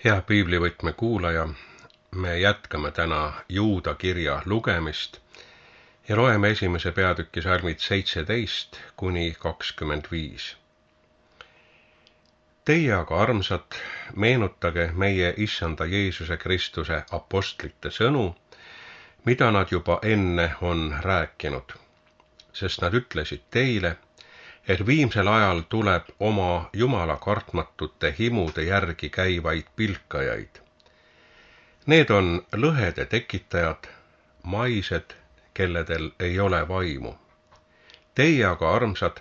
Hea piiblivõtme kuulaja, me jätkame täna Juuda kirja lugemist ja loeme esimese peatüki salmid 17–25. Teie aga, armsad, meenutage meie Issanda Jeesuse Kristuse apostlite sõnu, mida nad juba enne on rääkinud, sest nad ütlesid teile, et viimsel ajal tuleb oma Jumala kartmatute himude järgi käivaid pilkajaid. Need on lõhede tekitajad, maised, kelledel ei ole vaimu. Teie aga, armsad,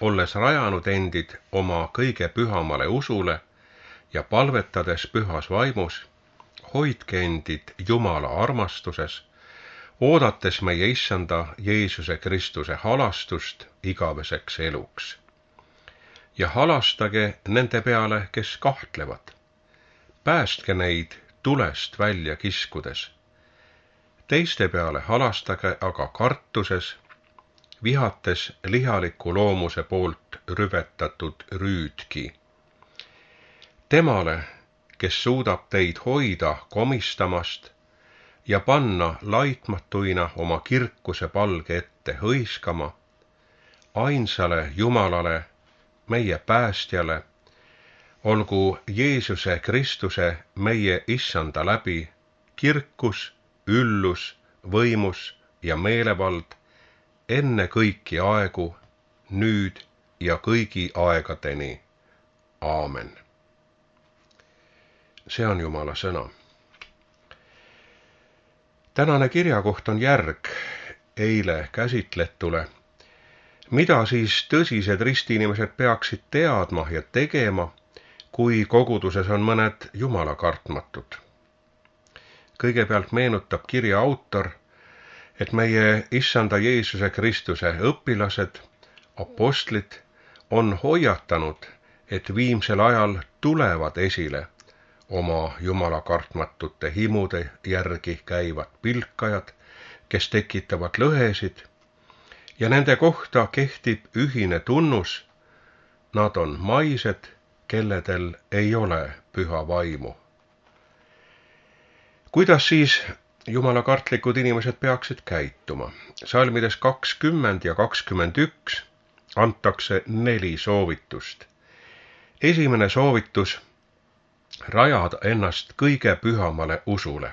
olles rajanud endid oma kõige pühamale usule ja palvetades pühas vaimus, hoidke endid Jumala armastuses, oodates meie Issanda Jeesuse Kristuse halastust igaveseks eluks. Ja halastage nende peale, kes kahtlevad. Päästke neid tulest välja kiskudes. Teiste peale halastage aga kartuses, vihates lihaliku loomuse poolt rüvetatud rüüdki. Temale, kes suudab teid hoida komistamast ja panna laitmatuina oma kirkuse palge ette hõiskama, ainsale Jumalale, meie päästjale, olgu Jeesuse Kristuse meie Issanda läbi kirkus, üllus, võimus ja meelevald enne kõiki aegu, nüüd ja kõigi aegadeni. Aamen. See on Jumala sõna. Tänane kirjakoht on järg eile käsitletule, mida siis tõsised ristiinimesed peaksid teadma ja tegema, kui koguduses on mõned Jumala kartmatud. Kõigepealt meenutab kirja autor, et meie Issanda Jeesuse Kristuse õpilased, apostlid, on hoiatanud, et viimsel ajal tulevad esile oma Jumala kartmatute himude järgi käivad pilkajad, kes tekitavad lõhesid, ja nende kohta kehtib ühine tunnus, nad on maised, kelledel ei ole püha vaimu. Kuidas siis Jumala kartlikud inimesed peaksid käituma? Salmides 20 ja 21 antakse 4 soovitust. Esimene soovitus: rajada ennast kõige pühamale usule.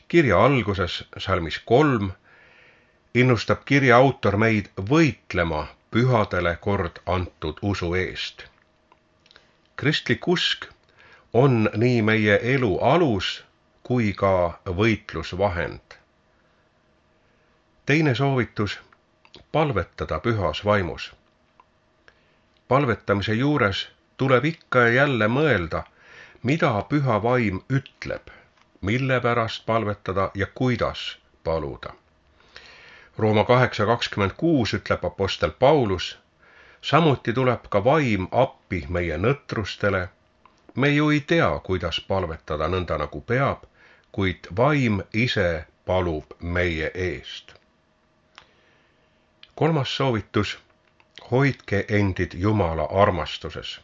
Kirja alguses, salmis 3, innustab kirja autor meid võitlema pühadele kord antud usu eest. Kristlik usk on nii meie elu alus kui ka võitlusvahend. Teine soovitus: palvetada pühas vaimus. Palvetamise juures tuleb ikka ja jälle mõelda, mida püha vaim ütleb, mille pärast palvetada ja kuidas paluda. Rooma 8:26 ütleb apostel Paulus, samuti tuleb ka vaim appi meie nõtrustele. Me ju ei tea, kuidas palvetada nõnda nagu peab, kuid vaim ise palub meie eest. Kolmas soovitus: hoidke endid Jumala armastuses.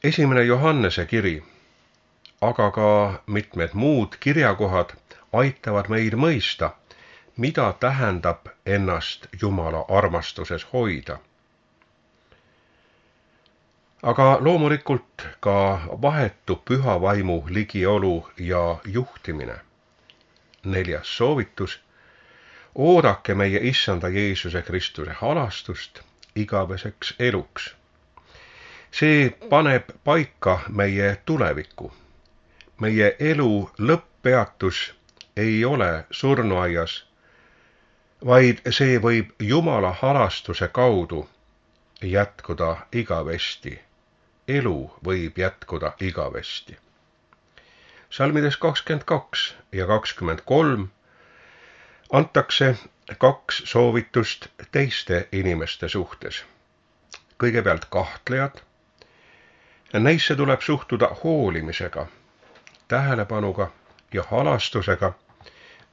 1. Johannese kiri, aga ka mitmed muud kirjakohad aitavad meid mõista, mida tähendab ennast Jumala armastuses hoida. Aga loomulikult ka vahetu püha vaimu ligiolu ja juhtimine. 4. soovitus: oodake meie Issanda Jeesuse Kristuse halastust igaveseks eluks. See paneb paika meie tulevikku. Meie elu lõpppeatus ei ole surnuaias, vaid see võib Jumala halastuse kaudu jätkuda igavesti. Elu võib jätkuda igavesti. Salmides 22 ja 23 antakse 2 soovitust teiste inimeste suhtes. Kõigepealt kahtlejad. Neisse tuleb suhtuda hoolimisega, tähelepanuga ja halastusega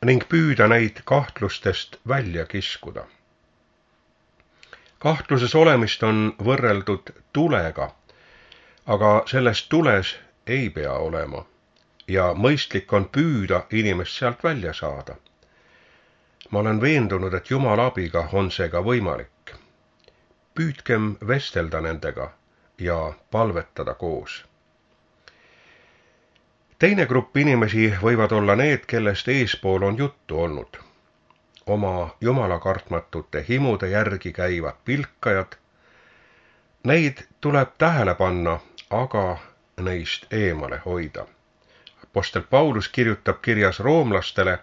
ning püüda neid kahtlustest välja kiskuda. Kahtluses olemist on võrreldud tulega, Aga sellest tules ei pea olema ja mõistlik on püüda inimest sealt välja saada. Ma olen veendunud, et Jumala abiga on see ka võimalik. Püüdkem vestelda nendega ja palvetada koos. Teine grupp inimesi võivad olla need, kellest eespool on juttu olnud. Oma jumalakartmatute himude järgi käivad pilkajad. Neid tuleb tähele panna, aga neist eemale hoida. Apostel Paulus kirjutab kirjas roomlastele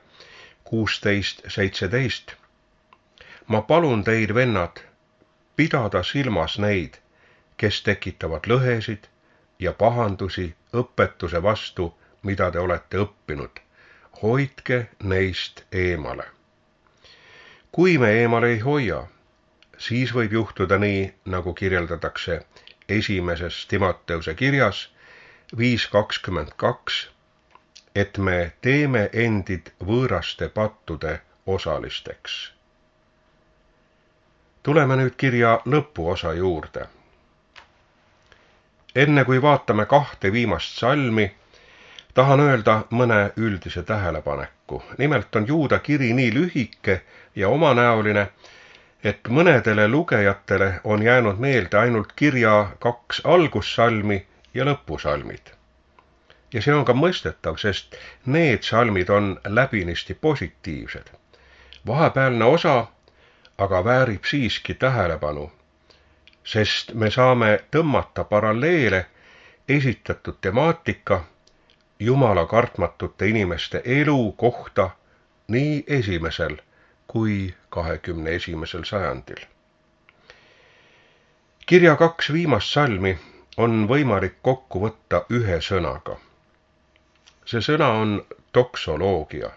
16:17. Ma palun teid, vennad, pidada silmas neid, kes tekitavad lõhesid ja pahandusi õpetuse vastu, mida te olete õppinud. Hoidke neist eemale. Kui me eemale ei hoia, siis võib juhtuda nii, nagu kirjeldatakse esimeses Timoteuse kirjas 5:22, et me teeme endid võõraste pattude osalisteks. Tuleme nüüd kirja lõpuosa juurde. Enne kui vaatame 2 viimast salmi, tahan öelda mõne üldise tähelepaneku. Nimelt on Juuda kiri nii lühike ja omanäoline, et mõnedele lugejatele on jäänud meelde ainult kirja 2 algussalmi ja lõpusalmid. Ja see on ka mõistetav, sest need salmid on läbinisti positiivsed. Vahepealne osa aga väärib siiski tähelepanu, sest me saame tõmmata paralleele esitatud temaatika Jumala kartmatute inimeste elu kohta nii esimesel kui 21. sajandil. Kirja 2 viimast salmi on võimalik kokku võtta ühe sõnaga. See sõna on doksoloogia,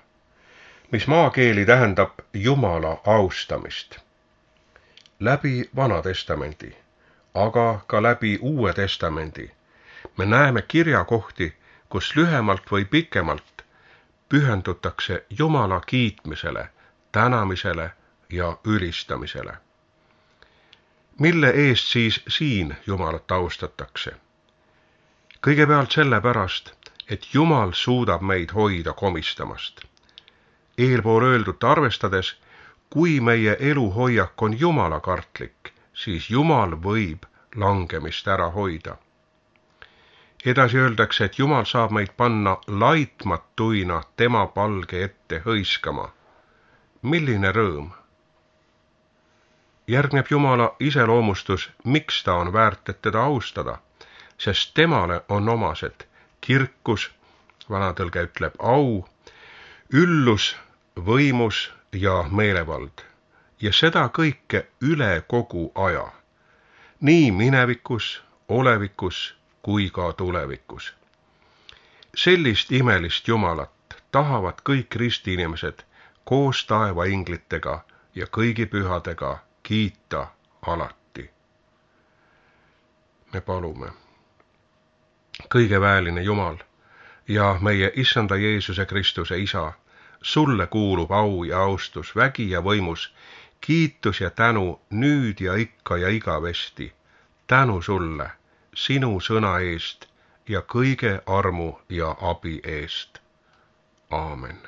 mis maakeeli tähendab Jumala austamist. Läbi Vana Testamendi, aga ka läbi Uue Testamendi me näeme kirjakohti, kus lühemalt või pikemalt pühendutakse Jumala kiitmisele, tänamisele ja ülistamisele. Mille eest siis siin Jumalat austatakse? Kõigepealt sellepärast, et Jumal suudab meid hoida komistamast. Eelpool öeldut arvestades, kui meie eluhoiak on jumalakartlik, siis Jumal võib langemist ära hoida. Edasi öeldakse, et Jumal saab meid panna laitmatuina tema palge ette hõiskama. Milline rõõm! Järgneb Jumala iseloomustus, miks ta on väärt, et teda austada, sest temale on omased kirkus, vanatõlge ütleb au, üllus, võimus ja meelevald. Ja seda kõike üle kogu aja. Nii minevikus, olevikus kui ka tulevikus. Sellist imelist Jumalat tahavad kõik ristiinimesed koos taevainglitega ja kõigi pühadega kiita alati. Me palume. Kõigeväeline Jumal ja meie Issanda Jeesuse Kristuse Isa, sulle kuulub au ja austus, vägi ja võimus, kiitus ja tänu nüüd ja ikka ja igavesti. Tänu sulle, sinu sõna eest ja kõige armu ja abi eest. Aamen.